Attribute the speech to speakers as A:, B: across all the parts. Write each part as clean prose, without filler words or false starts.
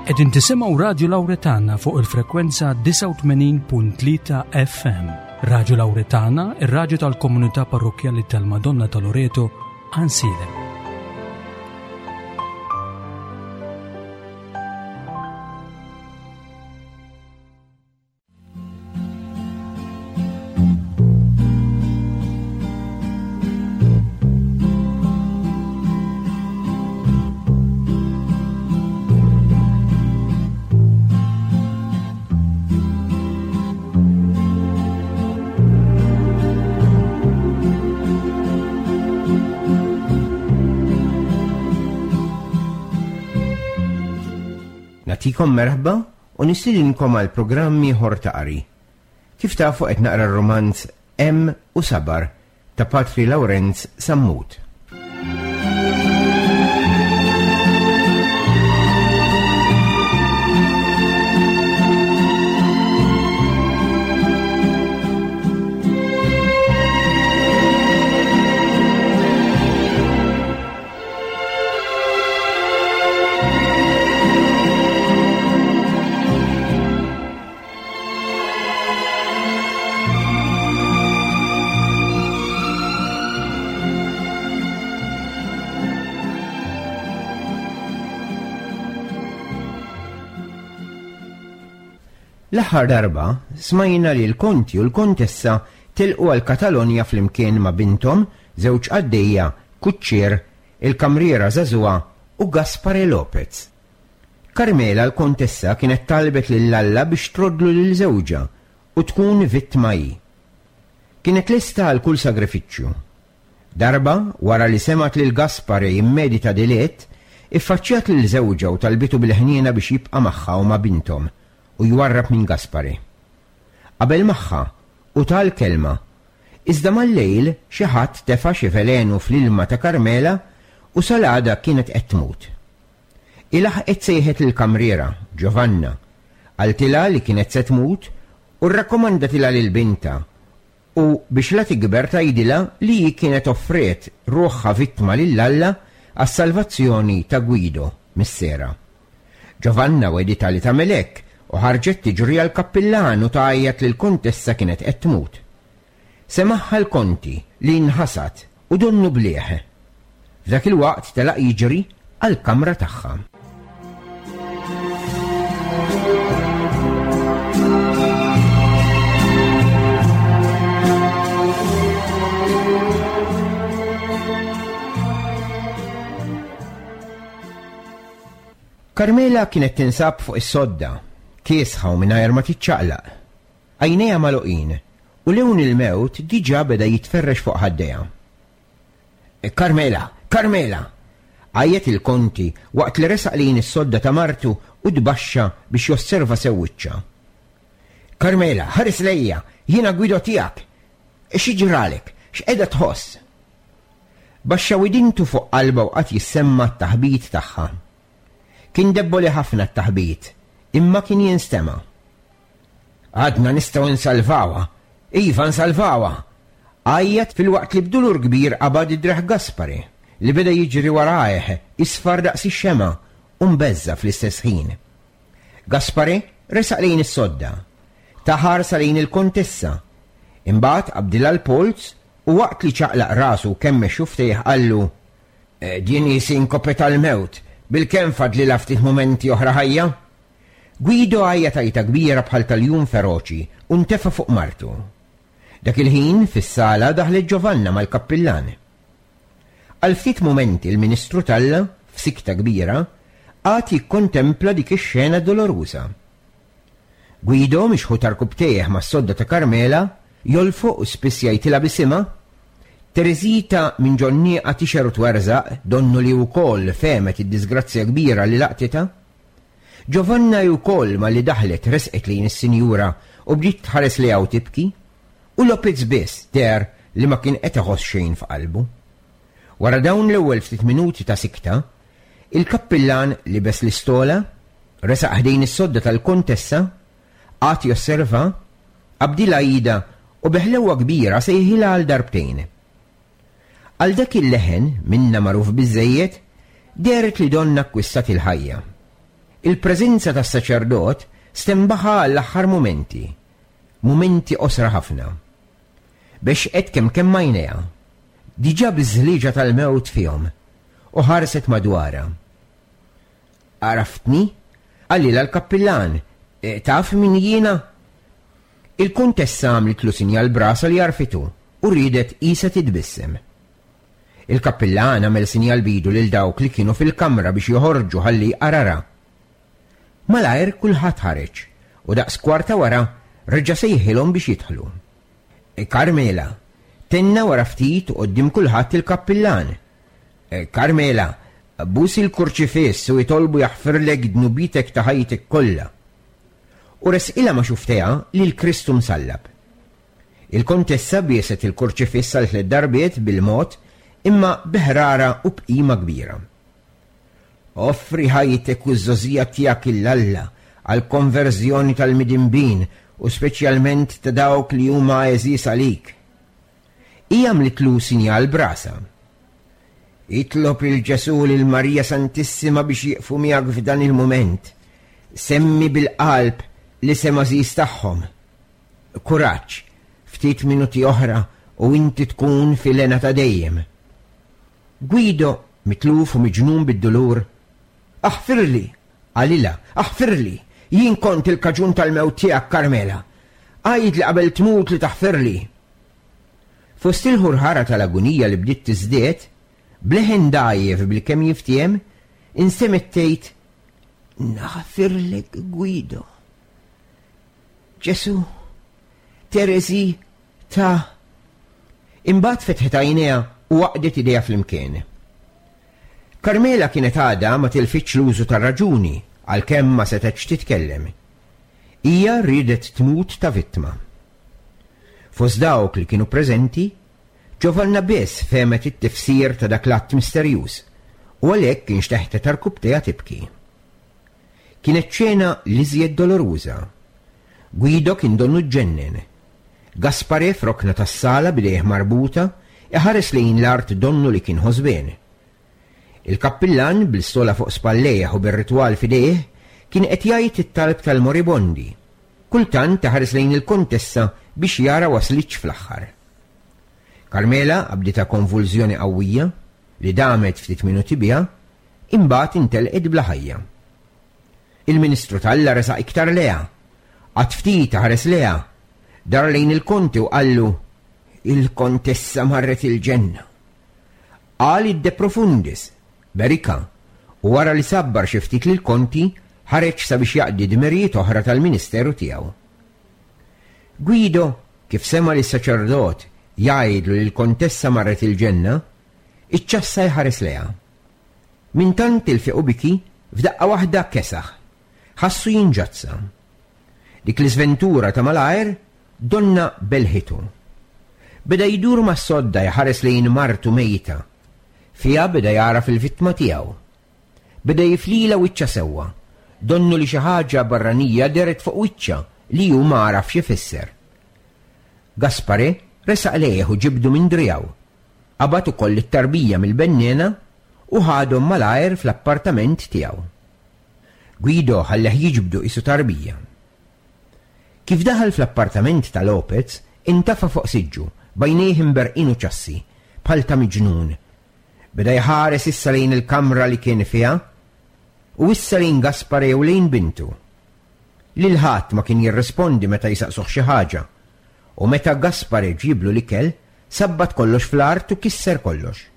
A: Qegħdin tisimgħu Radju Lawretana fuq il-frekwenza 89.3 FM. Radju Lawretana, ir-radju tal-komunità parrokkjali tal-Madonna ta' Loreto, Ansilem.
B: Natikom merħba u nistidinkom għal programm ieħor ta' qari. Kif tafu qed naqra r-rumanz Hemm u Sabar ta' Patri Lawrenz Sammut. L-aħħar darba smajna li l-konti u l-kontessa telqu għal Katalonja flimkien ma' binthom, żewġ qaddejja, kuċċier, il-kamriera żagħżugħa u Gaspare Lopez. Carmela l-kontessa kienet talbet lil Alla biex troddlu lil żewġha u tkun vittma hi. Kienet lesta għal kull sagrifiċċju. Darba, wara li semgħet lil Gaspare jimmedita dilett, iffaċċjat lil żewġha u talbitu bil-ħniena biex jibqa' magħha u ma' binthom u jwarrab minn Gaspare. Qabel magħha u ta l-kelma Iżda mal-lejl xi ħadd tefa' xi velenu fl-ilma ta' Carmela u sal-għada kienet qed tmut. Hi laħqet sejħet lill-kamriera, Giovanna, qaltilha li kienet se tmut u rrakkomandatilha lil bintha u biex la tikber tgħidilha li hi kienet offriet ruħha vittma lil Alla għas-salvazzjoni ta' Guido, missierha. Giovanna wegħditha li tagħmel hekk u ħarġet tiġri għall-kappillan u tgħajjat li l-kuntessa kienet qed tmut. Semagħha l-konti li nħasad u donnu blieh. F'dak il-waqt telaq jiġri għall-kamra tagħha. Carmela kienet tinsab fuq is-sodda, kiesħa u mingħajr ma tiċċaqlaq. Għajnejha magħluqin u lewn il-mewt diġà beda jitferrex fuq ħaddejha. Carmela! Carmela! għajjat il-Konti waqt li resaq lejn is-sodda ta' martu u tbaxxa biex josserva sew wiċċha. Carmela, ħares lejja! Jiena Guido tiegħek! Xi ġralek? X'qiegħda tħoss? Baxxa widintu fuq qalbha u qagħad jissemma' t-taħbit tagħha. Kien debboli ħafna t-taħbit, imma kien jinstema'. Għadna nistgħu nsalvawha! Iva, nsalvawha! Għajjat filwaqt li b'dulur kbir qabad id-driegħ Gaspare, li beda jiġri warajh, isfar daqs ix-xemgħa u mbeżża' fl-istess ħin. Gaspare resaq lejn is-sodda. Ta ħarsa lejn il-Kontessa. Imbagħad qabdilha l-polz u waqt li ċaqlaq rasu u kemmex xufftejh qallu, Din hi sinkope tal-mewt, bilkemm fadlilha ftit mumenti oħra ħajja! Guido għajjat għajta kbira bħal ta' ljun feroċi u ntefa' fuq martu. Dak il-ħin, fis-sala daħlet Giovanna mal-kappillan. Għal ftit mumenti l-Ministru t'Alla, f'sikta kbira, qagħad jikkontempla dik ix-xena doloruża. Guido, mixħut għarkupptejh mas-sodda ta' Carmela, jolfoq u spiss jgħajtilha b'isimha. Teresita minn ġon-nieqa tixher u twerżaq, donnu li wkoll fehmet id-diżgrazzja kbira li laqtitha. Giovanna hi wkoll malli daħlet resqet lejn is-sinjura u bdiet tħares lejha u tibki, u Lopez biss deher li ma kien qed iħoss xejn f'qalbu. Wara dawn l-ewwel ftit minuti ta' sikta, il-kappillan libes l-istola, resaq ħdejn is-sodda tal-Kontessa, qagħad josserva, qabdilha idha u bi ħlewwa kbira sejħilha għal darbtejn. Għal dak il-leħen, minnha magħruf biżżejjed, dehret li donnha akkwistat il-ħajja. Il-preżenza tas-saċerdot stenbaħha għall-aħħar mumenti, mumenti qosra ħafna. Bexqet kemm kemm għajnejha, diġà biż-żlieġa tal-mewt fihom, u ħarset madwarha. Għaraftni? Qalilha l-kappillan. Taf min jiena? Il-Kuntessa għamlitlu sinjal b'rasha li għarfitu u riedet qisha titbissem. Il-kappillan għamel sinjal b'idu lil dawk li kienu fil-kamra biex joħorġu ħalli jqararha. Malajr kulħadd ħareġ u daqs kwarta wara reġa' sejħilhom biex jidħlu. Carmela, tenna wara ftit u quddiem kulħadd il-kappillan. Carmela, bus il-kurċifiss u itolbu jaħfirlek dnubietek ta' ħajtek kollha. U resqilha ma' xufftejha lil Kristu msallab. Il-Kontessa bieset il-kurċifiss għal tlett darbiet bil-mod imma bi ħrara u b'qima kbira. Offri ħajtek u ż-żgħożija tiegħek 'il Alla għall-konverżjoni tal-midinbin u speċjalment ta' dawk li huma għeżież għalik. Hi għamlitlu sinjal b'rasha. Itlob lil Ġesù u lil Marija Santissima biex jieqfu miegħek f'dan il-mument. Semmi bil-qalb l-isem għażiż tagħhom. Kuraġġ, ftit minuti oħra u inti tkun fil-hena ta' dejjem. Guido, mitluf u miġnun bid-dulur, Aħfirli! qalilha, aħfirli! Jien kont il-kaġun tal-mewt tiegħek, Carmela. Għidli qabel tmut li taħfirli! Fost il-ħurħara tal-agunija li bdiet tiżdied, b'leħen dgħajjef bilkemm jiftiehem, instemgħet tgħid, Naħfirlek, Guido. Ġesù, Tereżi, ta' Imbagħad fetħet għajnejha u għaqdet idejha flimkien. Carmela kienet għadha ma tilfitx l-użu tar-raġuni għalkemm ma setgħetx titkellem. Hija riedet tmut ta' vittma. Fost dawk li kienu preżenti, Giovanna biss fehmet it-tifsir ta' dak l-att misterjuż u għalhekk inxteħtet għarkupptejha tibki. Kienet xena l-iżjed doloruża. Guido kien donnu ġġennen. Gaspare f'rokna tas-sala b'idejh marbuta, iħares lejn l-art donnu li kien ħosbien. Il-kappillan, bl-istola fuq spallejh u bir-ritwal f'idejh, kien qed jgħid it-talb tal-moribondi. Kultant iħares lejn il-Kontessa biex jara waslitx fl-aħħar. Carmela qabditha konvulżjoni qawwija, li damet ftit minuti biha, imbagħad intelqet bla ħajja. Il-Ministru t'Alla resaq iktar lejha. Qagħad ftit iħares lejha. Dar lejn il-Konti u qallu, Il-Kontessa marret il-ġenna. Qal id-De Profundis, berikha, u wara li sabbar xi ftit lill-Konti, ħareġ sabiex jaqdi dmirijiet oħra tal-ministeru tiegħu. Guido, kif sema' lis-saċerdot jgħidlu li l-Kontessa marret il-ġenna, iċċassa jħares lejha. Minn tant tilfiq u biki, f'daqqa waħda kesaħ. Ħassu jinġazza. Dik l-iżventura ta' malajr donnha belħitu. Beda jdur mas-sodda jħares lejn martu mejta. Fiha beda jagħraf il-vittma tiegħu. Beda jiflilha wiċċha sewwa. Donnu li xi ħaġa barranija dehret fuq wiċċha li hu ma għarafx ifisser. Gaspare resaq lejh u ġibdu minn driegħu. Qabad ukoll lit-tarbija mill-benniena u ħadhom malajr fl-appartament tiegħu. Guido ħalleh jiġbdu qisu tarbija. Kif daħal fl-appartament ta' Lopez, intafa' fuq siġġu, b'għajnejh imberrqin u ċassi, bħal ta' miġnun. Beda jħares issa lejn il-kamra li kien fiha, u issa lejn Gaspare u lejn bintu. Lil ħadd ma kien jirrispondi meta jsaqsuh xi ħaġa, u meta Gaspare ġieblu l-ikel, sabbat kollox fl-art u kisser kollox.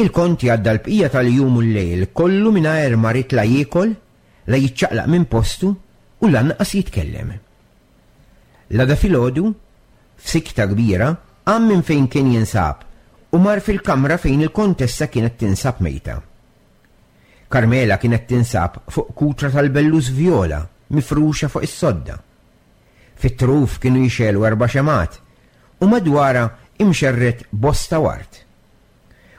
B: Il-Konti għadda l-bqija tal-jum u l-lejl kollu mingħajr ma ried la jiekol, la jiċċaqlaq minn postu u lanqas jitkellem. L-għada filgħodu, f'sikta kbira, qam minn fejn kien jinsab u mar fil-kamra fejn il-Kontessa kienet tinsab mejta. Carmela kienet tinsab fuq kutra tal-bellus vjola mifruxa fuq is-sodda. Fit-truf kienu jixegħlu erba' xemgħat u madwarha imxerred bosta ward.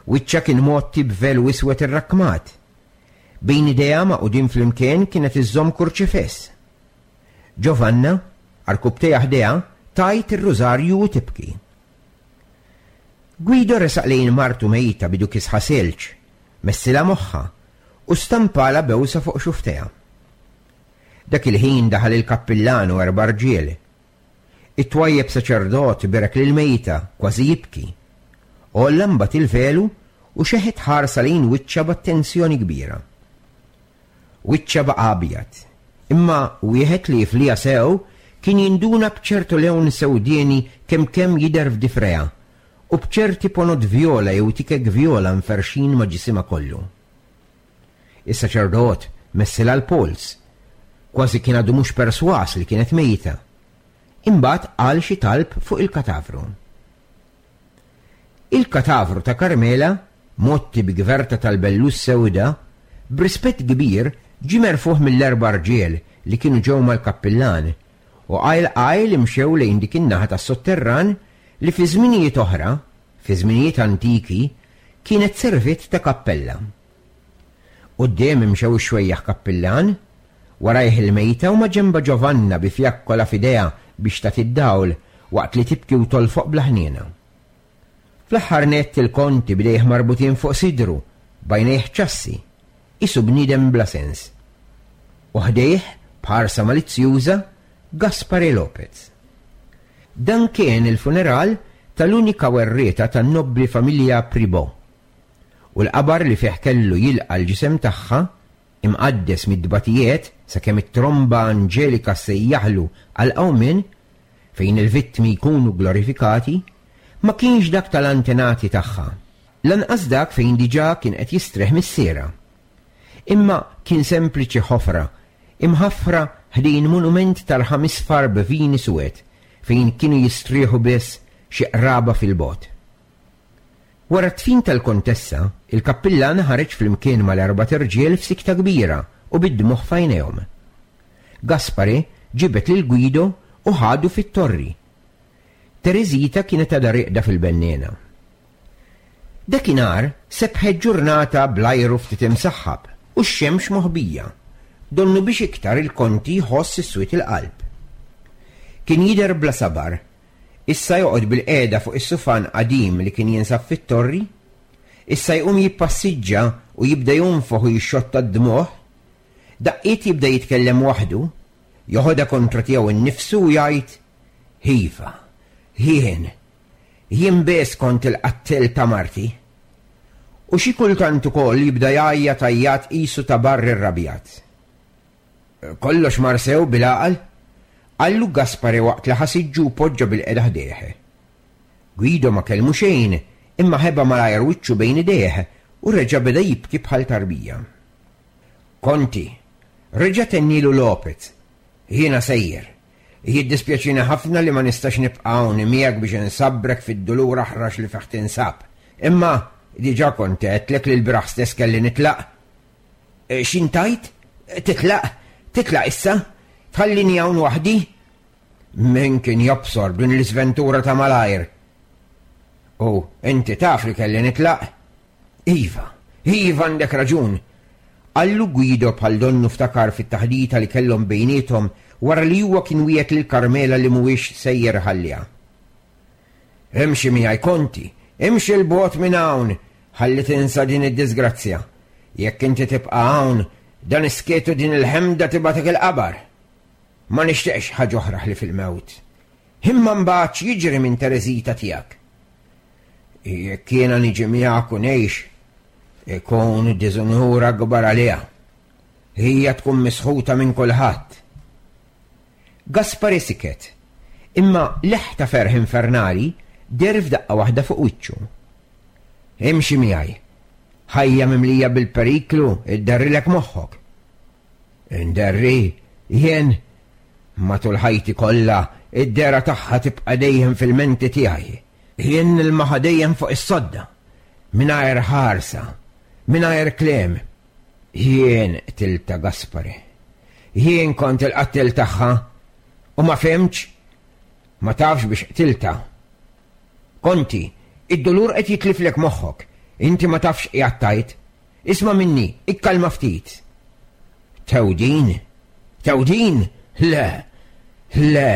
B: Wiċċha kien mgħotti b'velu iswed irrakkmat. Bejn idejha magħqudin flimkien kienet iżżomm kurċifiss. Giovanna, għarkupptejha ħdejha, tgħid ir-rużarju u tibki. Guido resaq lejn martu mejta b'idu kisħa silġ, messilha moħħha, u stampalha bewsa fuq xufftejha. Dak il-ħin daħal il-kappillan u erba' rġiel. It-twajjeb saċerdot berek lill-mejta, kważi jibki. Għolla mbagħad il-velu u xeħet ħarsa lejn wiċċha b'attenzjoni kbira. Wiċċha baqa' abjad, imma wieħed li jifliha sew kien jinduna b'ċertu lewn sewdieni kemm kemm jidher f'difrejha u b'ċerti ponot vjola jew tikek vjola mferrxin ma' ġisimha kollu. Is-saċerdot messilha l-polz. Kważi kien għadu mhux persważ li kienet mejta. Imbagħad qal xi talb fuq il-katavru. Il-katavru ta' Carmela, mgħotti bi gverta tal-bellus sewda, b'rispett kbir ġie merfugħ mill-erba' rġiel li kienu ġew mal-kappillan u qajl qajl imxew lejn dik in-naħa tas-sotterran li fi żminijiet oħra, fi żminijiet antiki, kienet serviet ta' kappella. Quddiem imxew ix-xwejjaħ kappillan, warajh il-mejta u maġenbha Giovanna bi fjakkola f'idejha biex tagħti d-dawl waqt li tibki u tolfoq bla ħniena. Fl-aħħar nett il-Konti b'idejh marbutin fuq sidru, b'għajnejh ċassi, qisu bniedem bla sens. U ħdejh, b'ħarsa malizzjuża, Gaspare Lopez. Dan kien il-funeral tal-unika werrieta tan-nobbli familja Pribò, u l-qabar li fih kellu jilqa' l-ġisem tagħha, imqaddes mit-tbatijiet sakemm it-tromba anġelika ssejjaħlu għall-qawmien, fejn il-vittmi jkunu glorifikati, ma kienx dak tal-antenati tagħha, lanqas dak fejn diġà kien qed jistrieħ missierha. Imma kien sempliċi ħofra imħaffra ħdejn monument ta' rħam isfar b'vini suwed fejn kienu jistrieħu biss xi qraba fil-bogħod. Wara d-dfin tal-Kontessa, il-kappillan ħareġ flimkien mal-erbat irġiel f'sikta kbira u bid-dmugħ f'għajnejhom. Gaspare ġibed lil Guido u ħadu fit-torri. Tereżita kienet għadha rieqda fil-benniena. Dakinhar sebħet ġurnata bl-ajru ftit imsaħħab u x-xemx moħbija, donnu biex iktar il-Konti jħoss is-swied il-qalb. Kien jidher bla sabar, issa joqgħod bilqiegħda fuq is-sufan qadim li kien jinsab fit-torri, issa jqum jippassiġġa u jibda jonfoħ u jixxotta d-dmugħ, daqqiet jibda jitkellem waħdu, joħodha kontra tiegħu nnifsu u jgħid, Iva, jien, Jien biss kont il-qattiel ta' marti. U xi kultant ukoll jibda jgħajjat għajjat qisu ta' barr irrabjat. Kollox mar sew bil-għaqal? Qallu Gaspare waqt li ħa siġġu u poġġa bilqiegħda ħdejh. Guido ma kellmu xejn imma ħeba malajr wiċċu bejn idejh u reġa' beda jibki bħal tarbija. Konti, reġa' tennielu Lopez, jiena sejjer. Jiddispjaċini ħafna li ma nistax nibqa' hawn miegħek biex insabbrek fid-dulur aħrax li fih tinsab. Imma diġà kont għedtlek li lbieraħ stess kelli nitlaq. X'int tgħid? Titlaq? Titlaq issa? Tħallini hawn waħdi? Min kien jobsor b'din l-iżventura ta' malajr? U inti taf li kelli nitlaq? Iva, iva għandek raġun! Qallu Guido bħal donnu ftakar fit-taħdita li kellhom bejniethom wara li huwa kien wiegħed lil Carmela li mhuwiex sejjer iħalliha. Imxi miegħi Konti, imxi 'l bogħod minn hawn ħalli tinsa din id-diżgrazzja. Jekk inti tibqa' hawn, dan is-skiet u din il-ħemda tibgħatek il-qabar. Ma nixtieqx ħaġa oħra ħlief il-mewt. Imma mbagħad x'jiġri minn Tereżita tiegħek? Jekk jiena niġi miegħek u ngħix, ikun diżunur akbar għaliha. Hija tkun misħuta minn kulħadd. Gaspare siket, imma leħ ta' ferħ infernali deher f'daqqa waħda fuq wiċċu. Imxi miegħi. Ħajja mimlija bil-periklu idderrilek moħħok. Inderri, jien, matul ħajti kollha, id-dehra tagħha tibqa' dejjem fil-menti tiegħi. Jien nilmaħa dejjem fuq is-sodda, mingħajr ħarsa, mingħajr kliem. Jien qtiltha Gaspare. Jien kont il-qattiel tagħha u ma fhimtx, ma tafx biex qtiltha. Konti, id-dulur qed jitliflek moħħok, inti ma tafx x'qiegħed tgħid. Isma' minni, ikkalma ftit. Tewdin? Tewdin? Le! Le!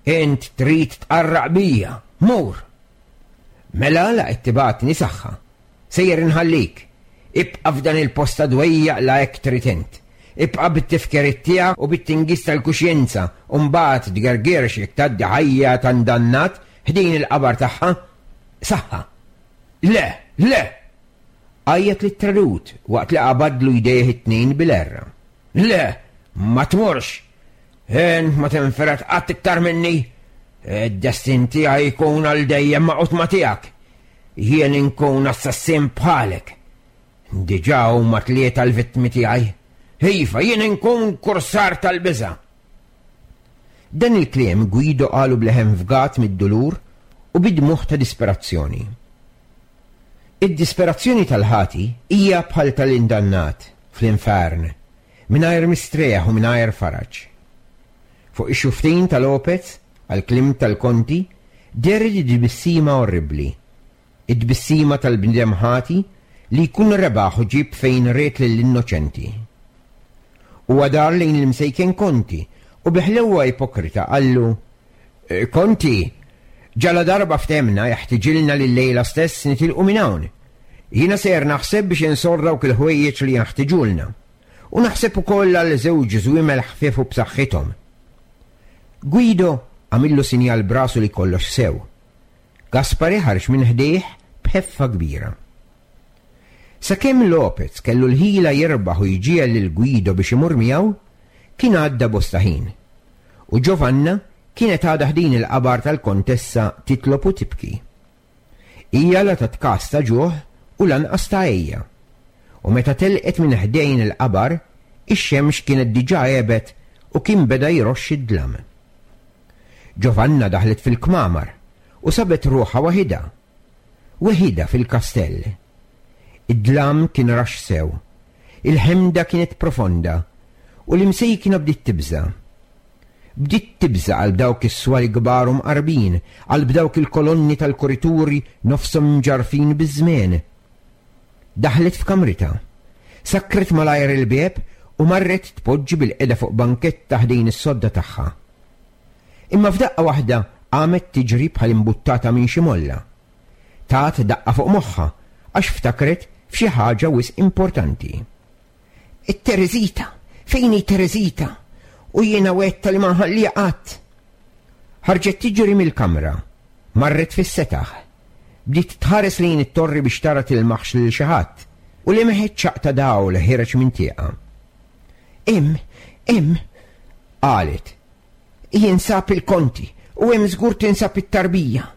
B: Int trid tqarraq bija! Mur! Mela la qed tibgħatni saħħa. Sejjer inħallik. Ibqa' f'dan il-post ta' dwejjaq la hekk trid int. Ibqa' bit-tifkiriet tiegħek u bit-tingiż tal-kuxjenza u mbagħad tgergirx jekk tgħaddi ħajja ta' ndannat ħdejn il-qabar tagħha. Saħħa! Le! Le! Għajjat lit-tradut waqt li qabadlu jdejh it-tnejn bil-għerra. Le! Ma tmurx! Int ma tinfired qatt iktar minni! Id-destin tiegħi jkun għal dejjem magħqud ma' tiegħek. Jien inkun assassin bħalek. Diġà huma tlieta l-vittmi tiegħi. Iva, jien inkun kursar tal-biża'. Dan il-kliem Guido qalu b'leħen fgat mid-dulur u bi dmugħ ta' disperazzjoni. Id-disperazzjoni tal-ħati hija bħal tal-indannat fl-infern, mingħajr mistrieħ u mingħajr faraġ. Fuq ix-xufftejn ta' Lopez, għall-kliem tal-Konti, dehret tbissima orribbli, it-tbissima tal-bniedem ħati li jkun rebaħ u ġieb fejn ried lill-innoċenti. Huwa dar lejn l-imsejken Konti u bi ħlewwa ipokrita qallu, Konti, ġaladarba ftehmna jeħtiġilna li llejla stess nitilqu minn hawn. Jiena sejjer naħseb biex insorr dawk il-ħwejjeġ li jenħtiġulna. U naħseb ukoll għal żewġ żwiemel ħfief u b'saħħithom. Guido għamillu sinjal b'rasu li kollox sew. Gaspare ħareġ minn ħdejh b'ħeffa kbira. Sakemm Lopez kellu l-ħila jirbaħ u jġiegħel lil Guido biex imur miegħu, kien għadda bosta ħin. U Giovanna kienet għadha ħdejn il-qabar tal-Kontessa titlob u tibki. Hija la tat kas ta' ġuħ u lanqas ta' għejja. U meta telqet minn ħdejn il-qabar, ix-xemx kienet diġà għebet u kien beda jroxx id-dlam. Giovanna daħlet fil-kmamar u sabet ruħha waħidha. Weħidha fil-kastell. Id-dlam kien raxx sew. Il-ħemda kienet profonda u l-imsejkna bdiet tibża'. Bdiet tibża' qalb dawk is-swali kbar u mqarbin, qalb dawk il-kolonni tal-kurituri nofshom imġarrfin biż-żmien. Daħlet f'kamritha. Sakkret malajr il-bieb u marret tpoġġi bilqiegħda fuq banketta ħdejn is-sodda tagħha. Imma f'daqqa waħda qamet tiġri bħal imbuttata minn xi molla. Tat daqqa fuq moħħha għax ftakret f'xi ħaġa wisq importanti. It-Tereżita! Fejn hi Tereżita? U jiena wegħdtha li ma nħalliha qatt! Ħarġet tiġri mill-kamra. Marret fis-setaħ. Bdiet tħares lejn it-torri biex tara tilmaħx lil xi ħadd, u lemħet ċaqq ta' dawl ħiereġ minn tieqa. Hemm! Hemm! qalet. Jinsab il-Konti, u hemm żgur tinsab it-tarbija.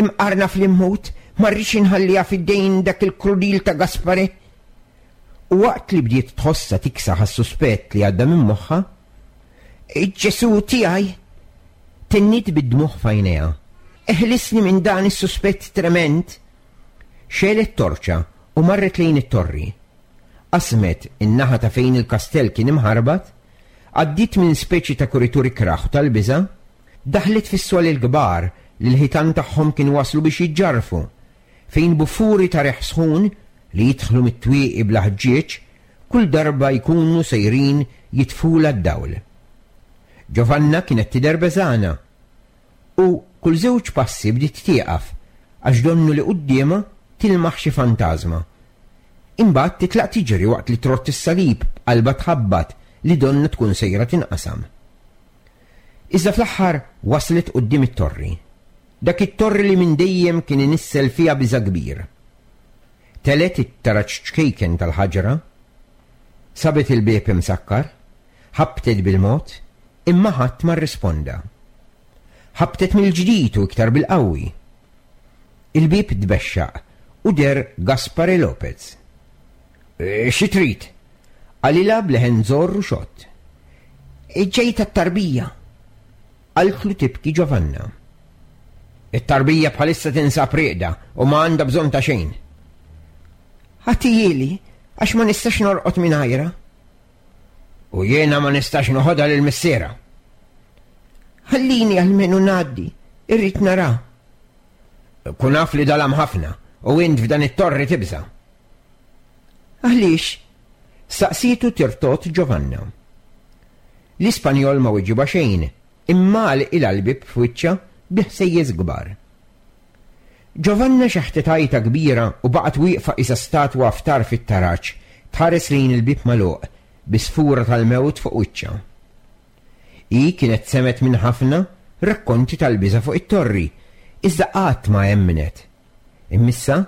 B: Imqarna fl-imħut, ma rridx inħalliha f'idejn dak il-krudil ta' Gaspare. U waqt li bdiet tħossha tiksaħ għas-suspett li għadda minn moħħha, Ġesù tiegħi! Tenniet bid-dmugħ f'għajnejha. Eħlisni minn dan is-suspett tremend! Xegħlet torċa u marret lejn it-torri. Qasmet in-naħa ta' fejn il-kastell kien imħarbat, għaddiet minn speċi ta' kuritur ikrah u tal-biża', daħlet fis-swali l-kbar li l-ħitan tagħhom kienu waslu biex jiġġarrfu, fejn buffuri ta' riħ sħun li jidħlu mit-twieqi bla ħġieġ kull darba jkunu sejrin jitfulha d-dawl. Giovanna kienet tidher beżgħana u kull żewġ passi bdiet tieqaf għax donnu li quddiemha tilmaħ xi fantażma. Imbagħad titlaq tiġri waqt li trott is-salib b'qalbha tħabbat li donnha tkun sejra tinqasam. Iżda fl-aħħar waslet quddiem it-torri. Dak it-torri li minn dejjem kien inissel fiha biża' kbir. Telgħet it-taraġ ċkejken tal-ħaġra, sabet il-bieb imsakkar, ħabbtet bil-mod, imma ħadd ma rrisponda. Ħabbtet mill-ġdid u iktar bil-qawwi. Il-bieb tbexxaq u deher Gaspare Lopez. Xi trid? qalilha b'leħen żorr u xott. Ġejt għat-tarbija, qaltlu tibki Giovanna. It-tarbija bħalissa tinsab rieqda u ma għandha bżonn ta' xejn. Agħtihieli għax ma nistax norqod mingħajrha. U jiena ma nistax noħodha lil missierha. Ħallini almenu ngħaddi, irrid nara. Kun af li dalam ħafna u int f'dan it-torri tibża'. Għaliex? Staqsietu tirtot Giovanna. L-Ispanjol ma weġibha xejn, imma għalqilha l-bieb f'wiċċha bi ħsejjes kbar. Giovanna xeħtet għajta kbira u baqgħet wieqfa qisha statwa f'tarf it-taraġ, tħares lejn il-bieb magħluq, bi sfura tal-mewt fuq wiċċha. Hi kienet semgħet minn ħafna rakkonti tal-biża' fuq it-torri, iżda qatt ma emmnet. Imma issa,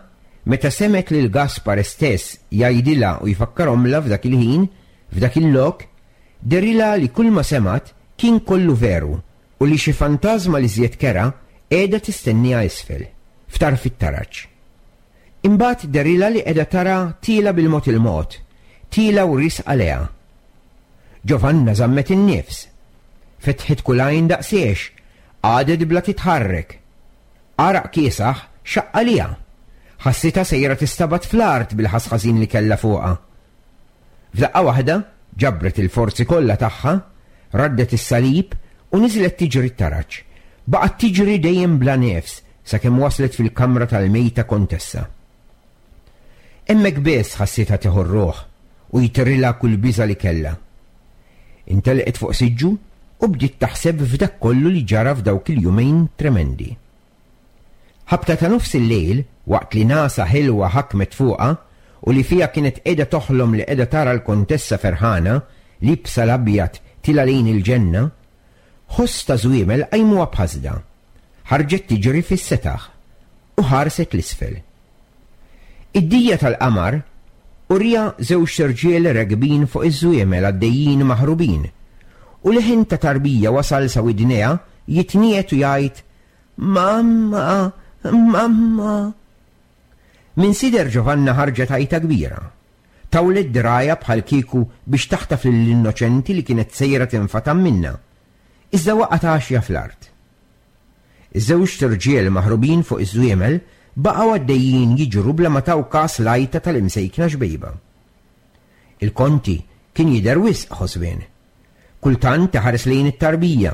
B: meta semgħet lil Gaspare stess jgħidilha u jfakkarhomlha f'dak il-ħin, f'dak il-lok, dehrilha li kulma semgħet kien kollu veru u li xi fantażma l-iżjed kerha qiegħda tistennieha isfel, f'tarf it-taraġ. Imbagħad dehrilha li qiegħda tara tiela' bil-mod il-mod, tiela' u riesqa lejha. Giovanna żammet in-nifs. Fetħet kull għajn daqsiex, qagħdet bla titħarrek. Għaraq kiesaħ xaqq għaliha. Ħassitha sejra tistabat fl-art bil-ħass ħażin li kellha fuqha. F'daqqa waħda ġabret il-forzi kollha tagħha, raddet is-salib u niżlet tiġri t-taraġ. Baqgħet tiġri dejjem bla nifs sakemm waslet fil-kamra tal-mejta kontessa. Hemmhekk biss ħassitha tieħu r-ruħ u jtirilha kull biża' li kellha. Intelqet fuq siġġu u bdiet taħseb f'dak kollu li ġara f'dawk il-jumejn tremendi. Ħabta ta' nofs il-lejl, waqt li nagħsa ħelwa ħakmet fuqha u li fiha kienet qiegħda toħlom li qiegħda tara l-Kontessa ferħana, liebsa l-abjad tilgħa lejn il-ġenna, ħoss ta' żwiemel qajmuha b'ħasda. Ħarġet tiġri fis-setaħ u ħarset 'l isfel. Id-dija tal-qamar uriha żewġt irġiel rekbin fuq iż-żwiemel għaddejjin maħrubin, u leħen ta' tarbija wasal sa widnejha jitniegħed u jgħid, Mamma! Mamma! Minn sider Giovanna ħarġet għajta kbira. Tawlet dirgħajha bħal kieku biex taħtaf lill-innoċenti li kienet sejra tinfatam minnha. Iżda waqgħet għaxja fl-art. Iż-żewġt irġiel maħrubin fuq iż-żwiemel baqgħu għaddejjin jiġru bla ma taw kas l-għajta tal-imsejkna xbejba. Il-Konti kien jidher wisq ħosbien. Kultant iħares lejn it-tarbija,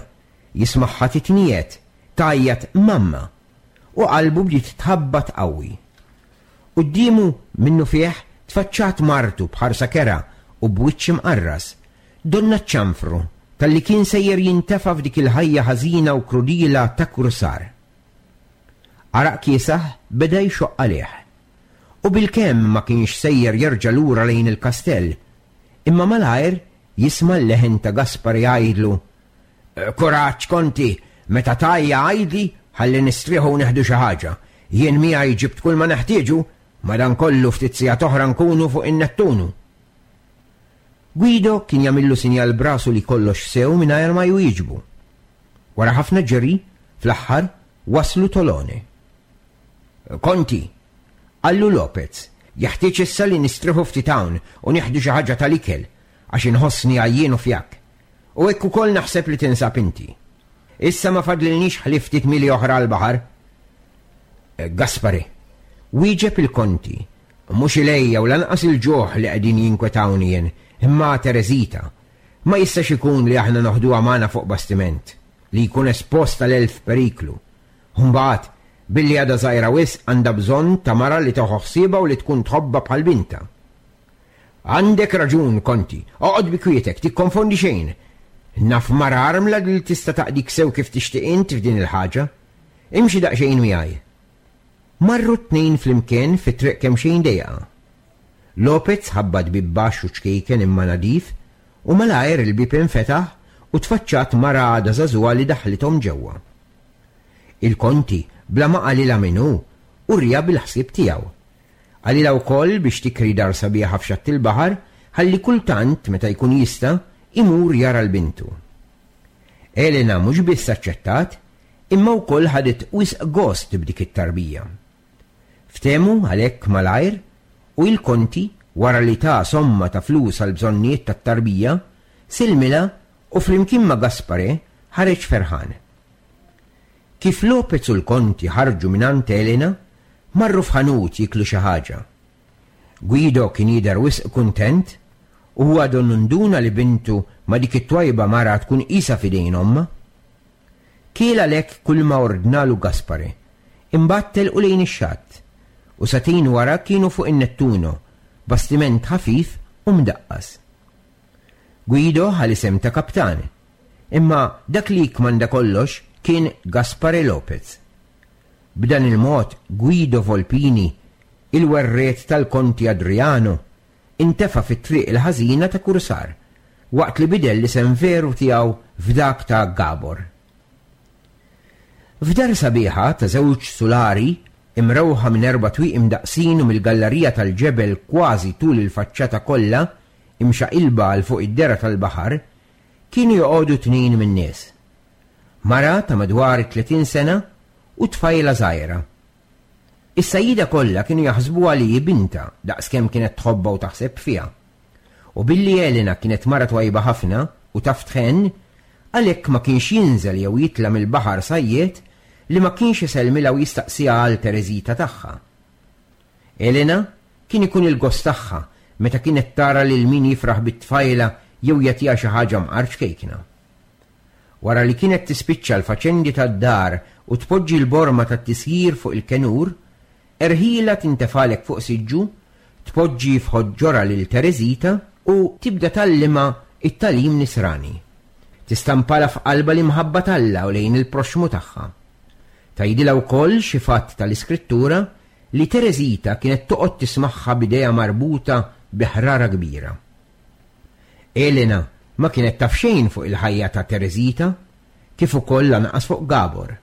B: jismagħha titniegħed, tgħajjat 'Mamma! u qalbu bdiet tħabbat qawwi. Quddiemu minnufih tfaċċat martu b'ħarsa kerha u b'wiċċ imqarras, donnha ċ-ċanfru talli kien sejjer jintefa' f'dik il-ħajja ħażina u krudila ta' kursar. Għaraq kiesaħ beda jxoqq għalih. U bilkemm ma kienx sejjer jerġa' lura lejn il-kastell, imma malajr jisma' l-leħen ta' Gaspar jgħidlu, Kuraġġ, Konti, meta tgħajja għidli ħalli nistrieħu u neħdu xi ħaġa. Jien miegħi ġibt kulma neħtieġu, madankollu ftit sigħat oħra nkunu fuq in-Nettunu. Guido kien jagħmillu sinjal b'rasu li kollox sew mingħajr ma jwieġbu. Wara ħafna ġiri, fl-aħħar waslu Tolone. Konti, qallu Lopez, jeħtieġ issa li nistrieħu ftit hawn u nieħdu xi ħaġa tal-ikel għax inħossni għajjien u fjakk. U hekk ukoll naħseb li tinsab inti. Issa ma fadlilniex ħlief ftit mili oħra għall-baħar. Eh, Gaspare, wieġeb il-konti, mhux il-għejja u lanqas il-ġuħ li qegħdin jinkwetawni jien, imma Tereżita. Ma jistax ikun li aħna noħduha magħna fuq bastiment, li jkun espost għal elf periklu. Mbagħad, billi għadha żgħira wisq għandha bżonn ta' mara li tieħu ħsiebha u li tkun tħobbha bħal bintha. Għandek raġun, Konti. Oqgħod bi kwietek, tikkonfondi xejn. Naf mara armla li tista' taqdik sew kif tixtieq int f'din il-ħaġa. Imxi daqsxejn miegħi. Marru t-tnejn flimkien fi triq kemxejn dejqa. Lopez ħabbat bieb baxx u ċkejken imma nadif u malajr il-bieb infetaħ u tfaċċat mara għadha żagħżugħa li daħħlithom ġewwa. Il-Konti, bla ma qalilha min hu, uriha bil-ħsieb tiegħu. Qalilha wkoll biex tikri dar sabiħa f'xatt il-baħar ħalli kultant, meta jkun jista', imur jara 'l bintu. Elena mhux biss aċċettat, imma wkoll ħadet wisq gost b'dik it-tarbija. Ftehmu għalhekk malajr u il-Konti, wara li ta somma ta' flus għall-bżonnijiet tat-tarbija, sellmilha u flimkien ma' Gaspare ħareġ ferħan. Kif Lopez u l-Konti ħarġu mingħand Elena, marru f'ħanut jieklu xi ħaġa. Guido kien jidher wisq kuntent u huwa donnu nduna li bintu ma' dik it-twajba mara tkun qisha f'idejn ommha. Kiel għalhekk kulma ordnalu Gaspare, imbagħad telqu lejn ix-xatt, u sagħtejn wara kienu fuq in-Nettuno, bastiment ħafif u mdaqqas. Guido ħa l-isem ta' kaptan, imma dak li jikkmanda kollox kien Gaspare Lopez. B'dan il-mod Guido Volpini, il-werriet tal-Konti Adriano, intefa' fit-triq il-ħażina ta' kursar, waqt li bidel l-isem veru tiegħu f'dak ta' Gabor. F'dar sabiħa ta' żewġ sulari, imrewħa minn erba' twieqi mdaqqsin u mill-gallarija tal-ġebel kważi tul il-faċċata kollha, imxaqilba għal fuq id-dehra tal-baħar, kienu joqogħdu tnejn min-nies. Mara ta' madwar it-30 sena u tfajla żgħira. Is-sajjieda kollha kienu jaħsbuha li hi bintha daqskemm kienet tħobbha u taħseb fiha. U billi Elena kienet mara twajba ħafna u taf tħenn, għalhekk ma kienx jinżel jew jitla' mill-baħar sajjied li ma kienx isellmilha u jistaqsiha għal Tereżita tagħha. Elena kien ikun il-gost tagħha meta kienet tara lil min jifraħ bit-tfajla jew jagħtiha xi ħaġa mqar ċkejkna. Wara li kienet tispiċċa l-faċendi tad-dar u tpoġġi l-borma tat-tisjir fuq il-kenur, erħilha tintefgħalek fuq siġġu, tpoġġi f'ħoġġorha lil Tereżita u tibda tgħallimha t-tagħlim nisrani. Tistampalha f'qalbha l-imħabba t'Alla u lejn il-proxxmu tagħha. Tgħidilha wkoll xi fatt tal-Iskrittura li Tereżita kienet toqgħod tismagħha b'idejha marbuta bi ħrara kbira. Elena ma kienet taf xejn fuq il-ħajja ta' Teresita, kif ukoll lanqas fuq Gabor.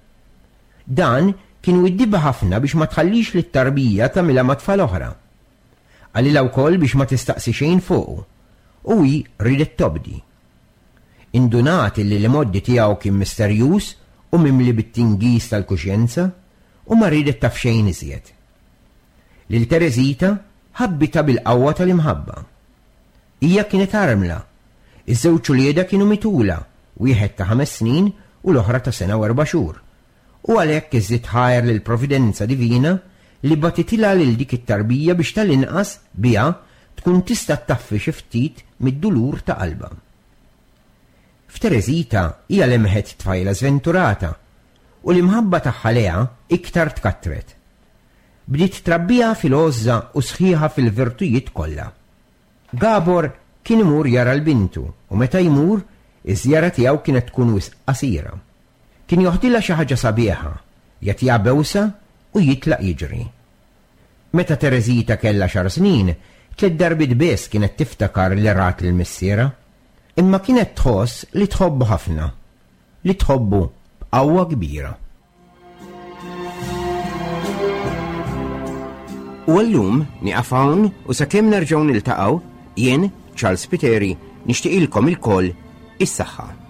B: Dan kien widdibha ħafna biex ma tħallix lit-tarbija tagħmilha ma' tfal oħra. Qalilha wkoll biex ma tistaqsi xejn fuqu, u hi riedet tobdi. Indunat illi l-imgħoddi tiegħu kien misterjuż u mimli bit-tingiż tal-kuxjenza, u ma riedet taf xejn iżjed. Lil Teresita ħabbitha bil-qawwa tal-imħabba. Hija kienet armla. Iż-żewġ uliedha kienu mitulha, wieħed ta' ħames snin u l-oħra ta' sena u erba' xhur. U għalhekk iżżid ħajr lill-Providenza Divina li bagħtitilha lil dik it-tarbija biex tal-inqas, biha, tkun tista' ttaffi xi ftit mid-dulur ta' qalbha. F'Teresita hija lemħet tfajla żventurata u l-imħabba tagħha lejha iktar tkattret. Bdiet trabbiha fil-għożża u sħiħa fil-virtujiet kollha. Gabor kien imur jara 'l bintu u meta jmur, iż-żjara tiegħu kienet tkun wisq qasira. Kien joħdilha xi ħaġa sabiħa, jagħtiha bewsa u jitlaq jiġri. Meta Tereżita kellha għaxar snin, tliet darbiet biss kienet tiftakar li rat lil missierha. Imma kienet tħoss li tħobbu ħafna, li tħobbu b'qawwa kbira. U għallum nieqaf hawn u sakemm nerġgħu niltaqgħu, jien, Charles Spiteri, nixtieqilkom ilkoll is-saħħa.